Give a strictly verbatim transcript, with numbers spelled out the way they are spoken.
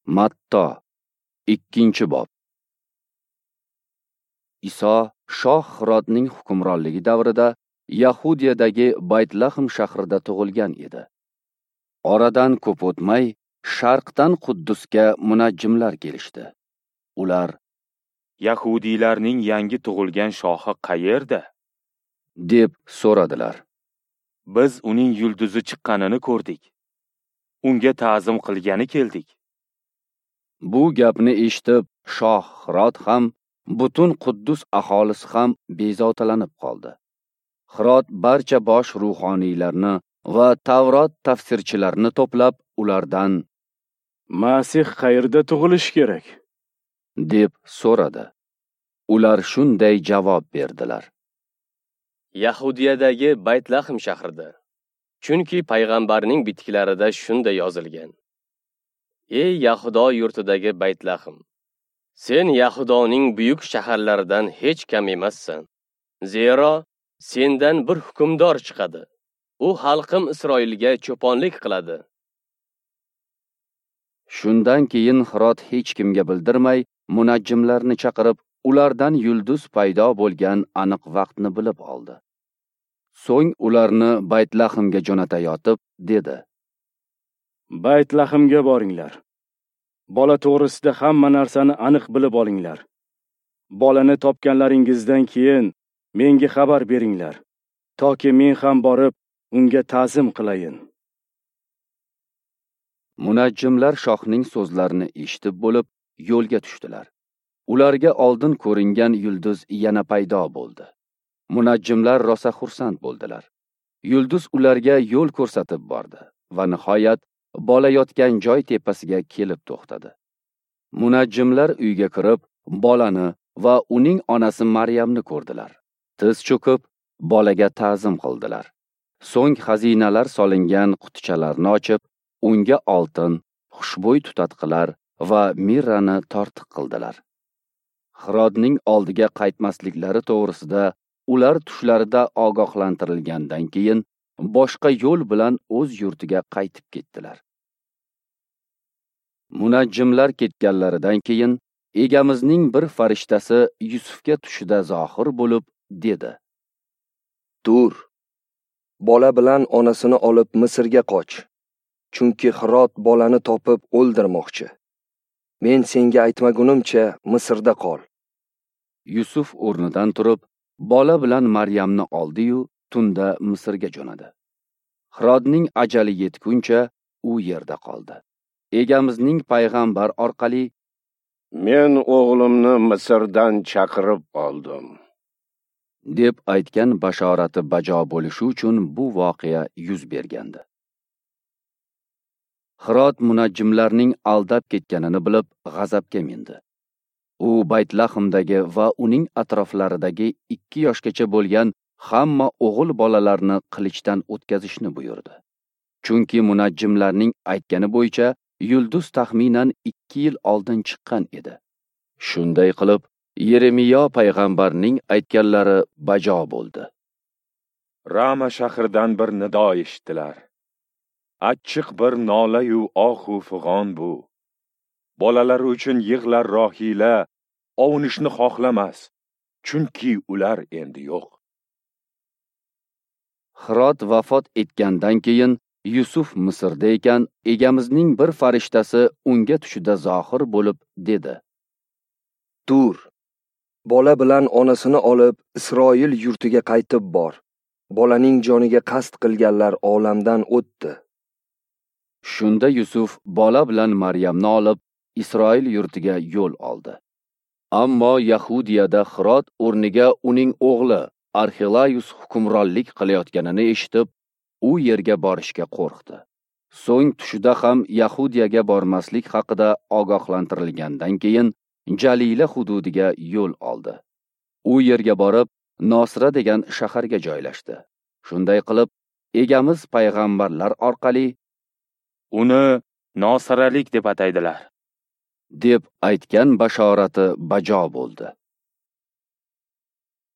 Matto, ikkinchi bob. Iso shoh Xirodning hukmronligi davrida Yahudiyadagi Baytlahm shahrida tug'ilgan edi. Oradan ko'p o'tmay, sharqdan Quddusga munajjimlar kelishdi. Ular: Yahudiylarning yangi tug'ilgan shohi qayerda? deb so'radilar. Biz uning yulduzi chiqqanini ko'rdik. Unga ta'zim qilgani keldik. Bu gapni eshitib, shoh Xirod ham, butun Quddus aholisi ham bezovtalanib qoldi. Xirod barcha bosh ruhoniylarni va Tavrot tafsirchilarini to'plab, ulardan: Masih qayerda tug'ilishi kerak? deb so'radi. Ular shunday javob berdilar: Yahudiyadagi Baytlahm shahrida. Chunki payg'ambarning bitiklarida shunday yozilgan: Ey Yahudo yurtidagi Baytlahm, sen Yahudoning buyuk shaharlaridan hech kam emassan. Zero sendan bir hukmdor chiqadi. U xalqim Isroilga cho'ponlik qiladi. Shundan keyin Xirod hech kimga bildirmay munajjimlarni chaqirib, ulardan yulduz paydo bo'lgan aniq vaqtni bilib oldi. So'ng ularni Baytlahmga jo'natayotib dedi: Baytlahmga boringlar. Bola to'g'risida hamma narsani aniq bilib olinglar. Bolani topganlaringizdan keyin menga xabar beringlar, toki men ham borib unga ta'zim qilayin. Munajjimlar shohning so'zlarini eshitib bo'lib, yo'lga tushdilar. Ularga oldin ko'ringan yulduz yana paydo bo'ldi. Munajjimlar rosa xursand bo'ldilar. Yulduz ularga yo'l ko'rsatib bordi va nihoyat bola yotgan joy tepasiga kelib to'xtadi. Munajjimlar uyga kirib, bolani va uning onasi Maryamni ko'rdilar. Tiz cho'kib, bolaga ta'zim qildilar. So'ng xazinalar solingan qutichalarni ochib, unga oltin, xushbo'y tutatqilar va mirrani tortiq qildilar. Xirodning oldiga qaytmasliklari to'g'risida ular tushlarida ogohlantirilgandan keyin boshqa yo'l bilan o'z yurtiga qaytib ketdilar. Munajjimlar ketganlaridan keyin Egamizning bir farishtasi Yusufga tushida zohir bo'lib dedi: Tur, bola bilan onasini olib Misrga qoch. Chunki Xirod bolani topib o'ldirmoqchi. Men senga aytmagunimcha Misrda qol. Yusuf o'rnidan turib, bola bilan Maryamni oldi-yu, tunda Misrga jo'nadi. Xirodning ajali yetguncha u yerda qoldi. Egamizning payg'ambar orqali: Men o'g'limni Misrdan chaqirib oldim, deb aytgan bashorati bajo bo'lishi uchun bu voqea yuz bergandi. Xirod munajjimlarning aldab ketganini bilib, g'azabga mindi. U Baytlahmdagi va uning atroflaridagi ikki yoshgacha bo'lgan hamma o'g'il bolalarni qilichdan o'tkazishni buyurdi. Chunki munajjimlarning aytgani bo'yicha yulduz taxminan ikki yil oldin chiqqan edi. Shunday qilib, Yeremiyo payg'ambarning aytganlari bajo bo'ldi. Rama shahridan bir nido eshitdilar. Achchiq bir nola-yu ohu fig'on bu. Bolalari uchun yig'lar Rohila, ovunishni xohlamas, chunki ular endi yo'q. Xirod vafot etgandan keyin Yusuf Misrda ekan, Egamizning bir farishtasi unga tushida zohir bo'lib dedi: Tur, bola bilan onasini olib Isroil yurtiga qaytib bor. Bolaning joniga qasd qilganlar olamdan o'tdi. Shunda Yusuf bola bilan Maryamni olib Isroil yurtiga yo'l oldi. Ammo Yahudiyada Xirod o'rniga uning o'g'li Arxilayus hukmronlik qilayotganini eshitib, u yerga borishga qo'rqdi. So'ng tushida ham Yahudiyaga bormaslik haqida ogohlantirilgandan keyin Jalila hududiga yo'l oldi. U yerga borib, Nosira degan shaharga joylashdi. Shunday qilib, Egamiz payg'ambarlar orqali uni Nosiralik deb ataydilar, deb aytgan bashorati bajo bo'ldi.